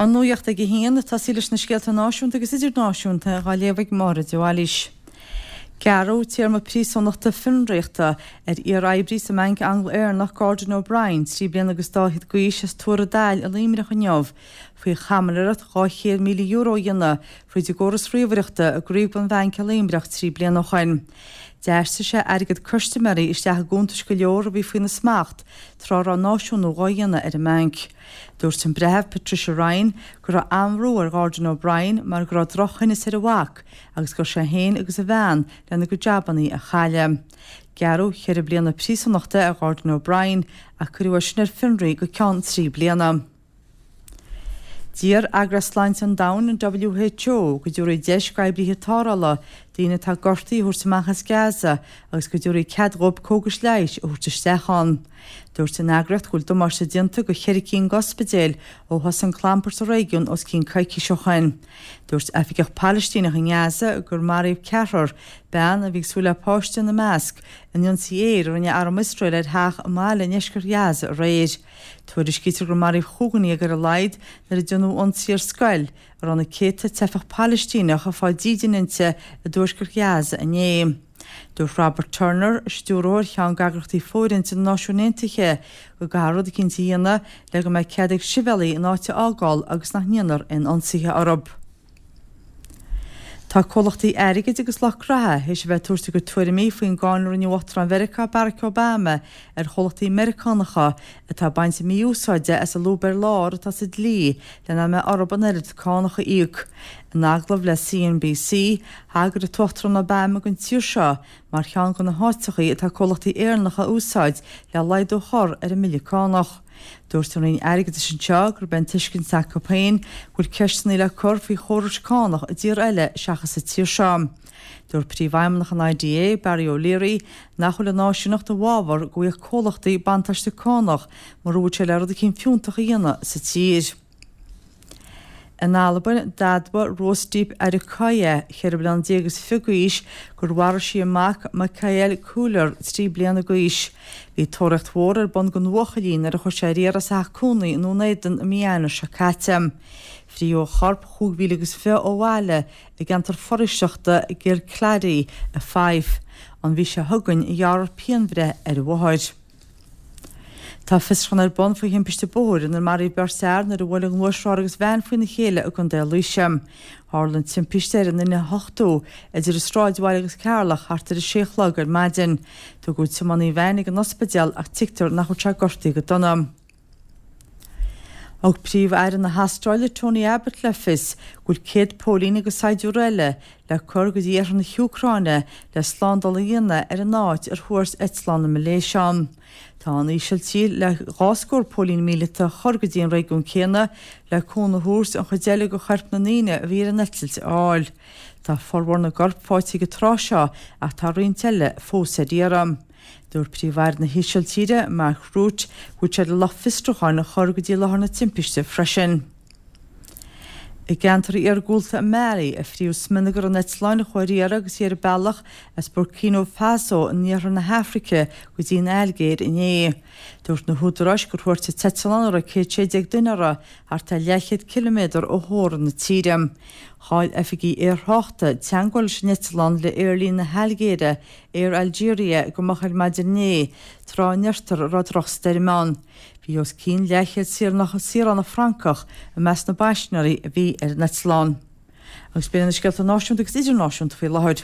An nuacht ag a haon, ag tosaí leis na scéalta náisiúnta agus idirnáisiúnta dhá léamh ag Máire de Bhailís. Gearradh téarma príosúnachta fionraíochta ar iar-oibrí sa mBanc Angla-Éireannach Gordon O'Brien, 3 bliana agus dá fhichead d'aois, as Tuar an Daill i Luimneach inniu faoi chaimiléireacht €200,000 a dhéanamh fríd an gcóras ríomhaireachta i gcraobh den bhanc i Luimneach 3 bliana ó shoin. D'aistrigh sé airgead custaiméirí isteach i gcuntais go leor a bhí faoina smacht tráth a raibh náisiúnú dhá dhéanamh ar an mbanc. Dúirt an Breitheamh Patricia Ryan go raibh an-bhrú ar Ghordon O'Brien mar go raibh drochthinneas ar a mhac agus go raibh sé féin agus a bhean lena gcuid jabannaí a chailleadh. Gearradh cheithre bliana príosúnachta ar Ghordon O'Brien ach cuireadh é sin ar fionraí go ceann 3 bliana. D'iarr Eagraíocht Sláinte an Domhain, an WHO, go dtabharfaí deis d'oibrithe tarrthála daoine atá gortaithe a thabhairt amach as Gaza agus go dtabharfaí cead dhóibh cógais leighis a thabhairt isteach ann. Dúirt an eagraíocht go bhfuil damáiste déanta go cheithre cinn d'ospidéil ó thosaigh an clampar sa réigiún os cionn coicís ó shoin. Dúirt oifigeach Palaistíneach i nGaza gur maraíodh ceathrar, bean a bhí ag súil le páiste ina measc, in ionsaí aeir a rinne arm Iosrael ar theach i mbaile i ndeisceart Ghaza aréir. Tuairiscítear gur maraíodh 15 dhuine ar a laghad nuair a déanadh ionsaí ar scoil a raibh na céadta teifeach Palaistíneach ag fáil dídine inti i dtuaisceart Ghaza inné. Dúirt Robert Turner, stiúrthóir cheann d'eagraíochtaí fóirithinte na Náisiún Aontaithe, go gcaithfear rud eicínt a dhéanamh le go mbeidh cead ag sibhialaigh an áit a fhágáil agus nach ndéanfar aon ionsaithe orthu. Tá comhlachtaí airgid agus lucht graithe théis a bheith ag tabhairt a gcuid tuairimí faoin gcáineadh a rinne Uachtarán Mheiriceá Barack Obama ar chomhlachtaí Meiriceánacha atá ag baint mí-úsáide as an lúb ar lár atá sa dlí le nach mbeidh orthu an oiread cánach a íoc. In agallamh le CNBC, thagair an tUachtarán Obama don tír seo mar cheann de na háiteachaí atá comhlachtaí Éireannacha a úsáid le laghdú a chur ar an mbille cánach. Dúirt an Roinn Airgeadais anseo gurb é an tuiscint acu féin go bhfuil ceisteanna le cur faoi chórais cánach i dtíortha eile seachas sa tír seo. Dúirt Príomhfheidhmeannach an IDA, Barry O'Leary, nach bhfuil an áisíneacht i bhfabhar go bhfaigheadh comhlachtaí buntáiste cánach mura bhfuil sé le rud eicínt fiúntach a dhéanamh sa tír. In Albain, d'admhaigh Rosdeep Adekoya, 14 bliana is fiche d'aois, gur mharaigh sí a mac, Mikael Cooler, 3 bliana d'aois. Bhí tóraíocht mhór ar bun don bhuachaillín nuair a chuir sé ar iarraidh as a theach cónaí i nDún Éideann i mí Eanáir seo caite. Frítheadh a chorp chúig mhíle agus fiche ó bhaile i gceantar foraoiseachta Girlcladdy i Fife. An mhí seo chugainn a ghearrfar pianbhreith ar a mháthair. Tá fiosrúchán ar bun faoi thimpiste bóthair inar maraíodh beirt fhear nuair a bhuail a ngluaisrothar agus veain faoina chéile i gContae Laoise. Tharla an timpiste ar an N8 idir an Sráidbhaile agus Ceatharlach thart ar a sé a chlog ar maidin. Tugadh tiománaí an veain ag an ospidéal ach tuigtear nach bhfuil sé gortaithe go dona. Thug Príomh-Aire na hAstráile Tony Abbott le fios go bhfuil 100 póilín agus saighdiúir eile le cur go dtí iarthar na hÚcráine le slándáil a dhéanamh ar an áit ar thuairt eitleán na Malaeisia ann. Tá an Ísiltír le dhá scór póilín míleata a chur go dtí an réigiún céanna le cúnamh a thabhairt an chuid eile de choirp na ndaoine a bhí ar an eitilt a fháil. Tá formhór na gcorp faighte ag an tráth seo ach tá roinnt eile fós ar iarraidh. Dúirt Príomh-Aire na hÍsiltíre, Mark Rutte, go bhfuil sé le lucht fiosrúcháin a chur go dtí láthair na timpiste freisin. I gceantar iargúlta i Mali, a frítheadh smionagar an eitleáin a chuaigh ar iarraidh agus í ar a bealach as Burkina Faso in iarthar na hAfraice go dtí an Ailgéir inné. Dúirt na húdaráis gur thuairt an t-eitleán a raibh 116 duine uirthi thart ar leathchéad ciliméadar ó theorainn na tíre. Chaill oifigigh aerthráchta teagmháil leis an eitleán le aerlíne na hAilgéire Air Algeria go moch ar maidin inné, tráth a ndeirtear a raibh drochstoirm ann. Bhí os cionn leathchéad saoránach Francach i measc na bpaisinéirí a bhí ar an eitleán. Agus b'in iad na scéalta náisiúnta agus idirnáisiúnta faoi láthair.